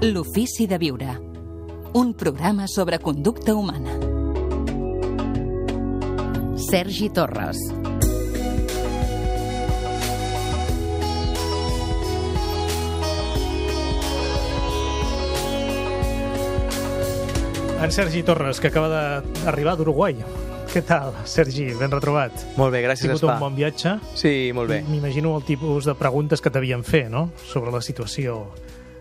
L'ofici de viure. Un programa sobre conducta humana. Sergi Torres. En Sergi Torres, que acaba d'arribar d'Uruguai. Què tal, Sergi? Ben retrobat. Molt bé, gràcies, Has tingut Espa. un bon viatge? Sí, molt bé. M'imagino el tipus de preguntes que t'havien fet, no?, sobre la situació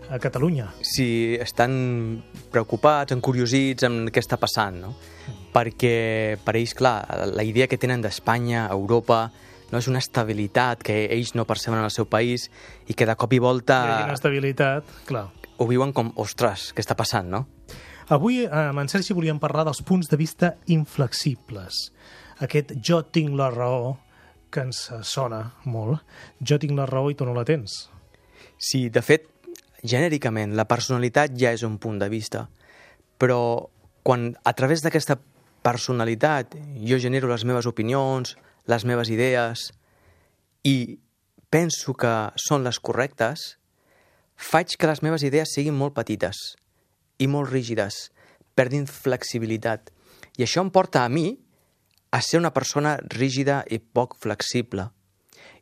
a Catalunya. Sí, estan preocupats, encuriosits en què està passant, no? Perquè per ells, clar, la idea que tenen d'Espanya, Europa, no és una estabilitat que ells no perceben en el seu país i que de cop i volta Hi ha inestabilitat, clar. ho viuen com, ostres, què està passant, no? Avui, amb en Sergi, volíem parlar dels punts de vista inflexibles. Aquest jo tinc la raó, que ens sona molt. Jo tinc la raó i tu no la tens. Sí, de fet, genèricament, la personalitat ja és un punt de vista, però quan a través d'aquesta personalitat jo genero les meves opinions, les meves idees, i penso que són les correctes, faig que les meves idees siguin molt petites i molt rígides, perdin flexibilitat. I això em porta a mi a ser una persona rígida i poc flexible.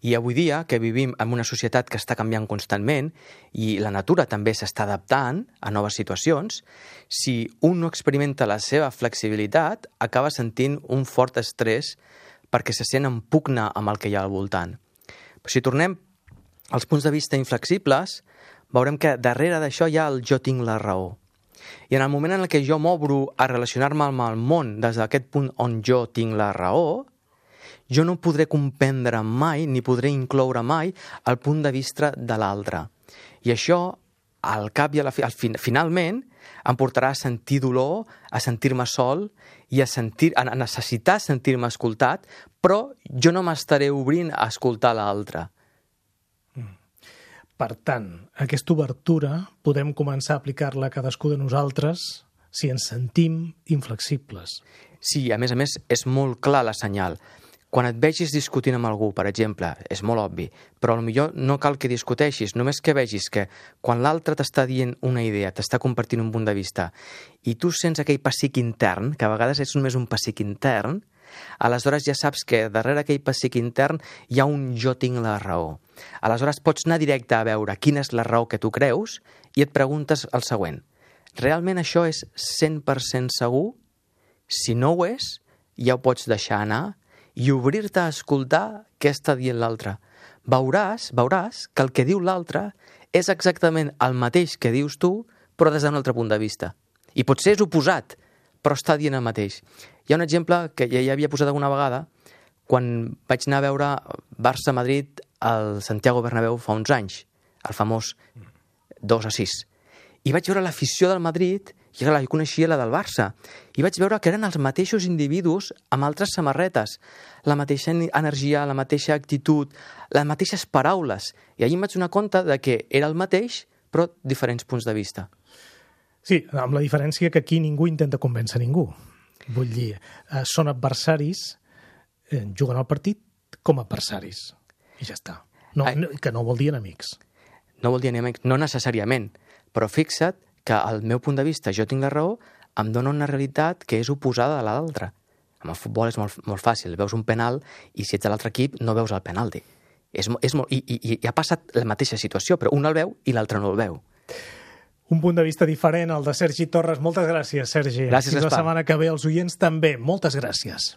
I avui dia, que vivim en una societat que està canviant constantment i la natura també s'està adaptant a noves situacions, si un no experimenta la seva flexibilitat, acaba sentint un fort estrès perquè se sent en pugna amb el que hi ha al voltant. Però si tornem als punts de vista inflexibles, veurem que darrere d'això hi ha el jo tinc la raó. I en el moment en què jo m'obro a relacionar-me amb el món des d'aquest punt on jo tinc la raó, jo no podré comprendre mai ni podré incloure mai el punt de vista de l'altre. I això, al cap i a la finalment, em portarà a sentir dolor, a sentir-me sol i a necessitar sentir-me escoltat, però jo no m'estaré obrint a escoltar l'altre. Per tant, aquesta obertura podem començar a aplicar-la a cadascú de nosaltres si ens sentim inflexibles. Sí, a més, és molt clar la senyal. Quan et vegis discutint amb algú, per exemple, és molt obvi, però potser no cal que discuteixis, només que vegis que quan l'altre t'està dient una idea, t'està compartint un punt de vista, i tu sents aquell pessic intern, que a vegades és només un pessic intern, aleshores ja saps que darrere aquell pessic intern hi ha un jo tinc la raó. Aleshores pots anar directe a veure quina és la raó que tu creus i et preguntes el següent. Realment això és 100% segur? Si no ho és, ja ho pots deixar anar i obrir-te a escoltar què està dient l'altre. Veuràs que el que diu l'altre és exactament el mateix que dius tu, però des d'un altre punt de vista. I potser és oposat, però està dient el mateix. Hi ha un exemple que ja havia posat alguna vegada quan vaig anar a veure Barça-Madrid al Santiago Bernabéu fa uns anys, el famós 2-6. I vaig veure l'afició del Madrid, i clar, jo coneixia la del Barça, i vaig veure que eren els mateixos individus amb altres samarretes, la mateixa energia, la mateixa actitud, les mateixes paraules. I allí em vaig donar compte de que era el mateix, però diferents punts de vista. Sí, amb la diferència que aquí ningú intenta convèncer ningú. Vull dir, són adversaris, juguen al partit com a adversaris. I ja està. Que no vol dir enemics. No vol dir enemics, no necessàriament. Però fixa't que al meu punt de vista, jo tinc la raó, em dona una realitat que és oposada a l'altra. Amb el futbol és molt fàcil. Veus un penal i si ets de l'altre equip no veus el penalti. I ha passat la mateixa situació, però un el veu i l'altre no el veu. Un punt de vista diferent, el de Sergi Torres. Moltes gràcies, Sergi. Gràcies, Fins la setmana que ve. Els oients també. Moltes gràcies.